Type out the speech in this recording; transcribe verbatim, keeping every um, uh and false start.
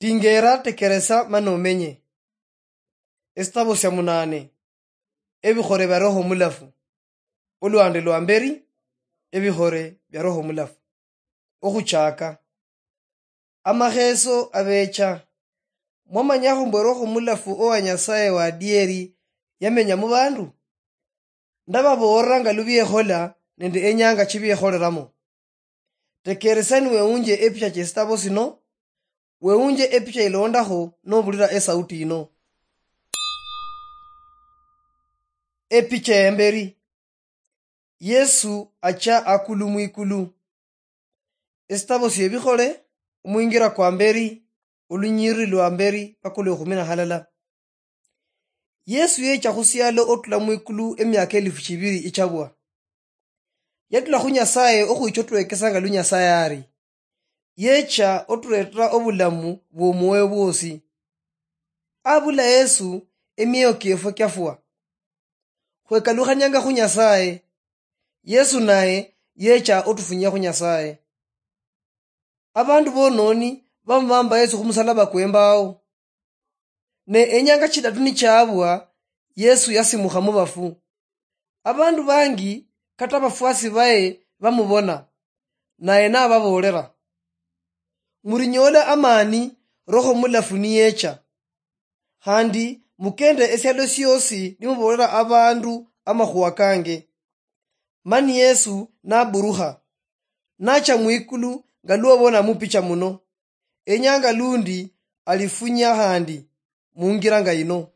Tingeera, tekeresa mani omenye. Esitabo sia munaane. Ebikhole bia Roho Mulafu. Olwande lwa mberi. Ebikhole bia Roho Mulafu. Okhuchaaka. Amakheeso abeecha. Mwamanyakhu mbwe Roho Mulafu owa Nyasaye wa adieri yamenya mu bandu? Ndababoolera nga lubiekhola nende enyanga chibiekholeramo. Tekeeresa niwewunje epicha chesitabo sino, wewunje epicha ilondakho nobulira esauti yino. Epicha yemberi. Yesu acha akulu mwikulu. Esitabo siebikhole, omwingira kwa mberi, olunyiriri lwa mberi paka olwekhumi na halala. Yesu yecha khusialo otula mwikulu emiaka elifu chibiri ichabwa. Yatula khu Nyasaye okhwicha otwekesa nga lu Nyasaye ari. Yecha oturetera obulamu bwomwoyo bwosi. Abula Yesu, emioyo kiefwe kiafwa. Khwekalukhanyanga khu Nyasaye. Yesu naye yecha otufunyia khu Nyasaye. Abandu bononi bamubamba Yesu khumusalaba kwembao. Ne enyanga chidatu nichaabwa, Yesu yasimukha mubafu. Abandu bangi, kata abafwasi baye, bamubona, naye nababoolera, "Murinyoole amaani, Roho Mulafu niyecha. Khandi mukende esialo siosi nimuboolera abandu amakhuwa kange." Mani Yesu naburukha, nacha mwikulu nga lwobona mupicha muno. Enyanga lundi alifunya khandi mungira nga yino.